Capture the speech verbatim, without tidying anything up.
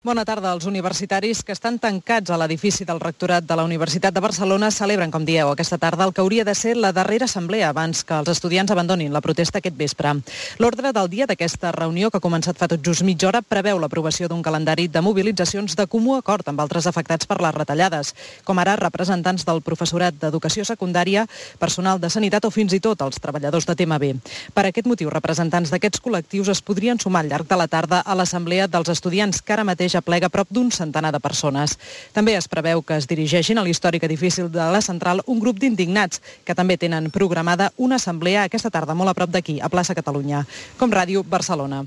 Bona tarda. Els universitaris que estan tancats a l'edifici del rectorat de la Universitat de Barcelona celebren, com dieu, aquesta tarda el que hauria de ser la darrera assemblea abans que els estudiants abandonin la protesta aquest vespre. L'ordre del dia d'aquesta reunió, que ha començat fa tot just mitja hora, preveu l'aprovació d'un calendari de mobilitzacions de comú acord amb altres afectats per les retallades, com ara representants del professorat d'educació secundària, personal de sanitat o fins i tot els treballadors de T M B. Per aquest motiu, representants d'aquests col·lectius es podrien sumar al llarg de la tarda a l'assemblea dels estudiants, que ara mateix aplega prop d'un centenar de persones. També es preveu que es dirigeixin a l'històric edifici de la Central un grup d'indignats que també tenen programada una assemblea aquesta tarda molt a prop d'aquí, a plaça Catalunya. Com Ràdio, Barcelona.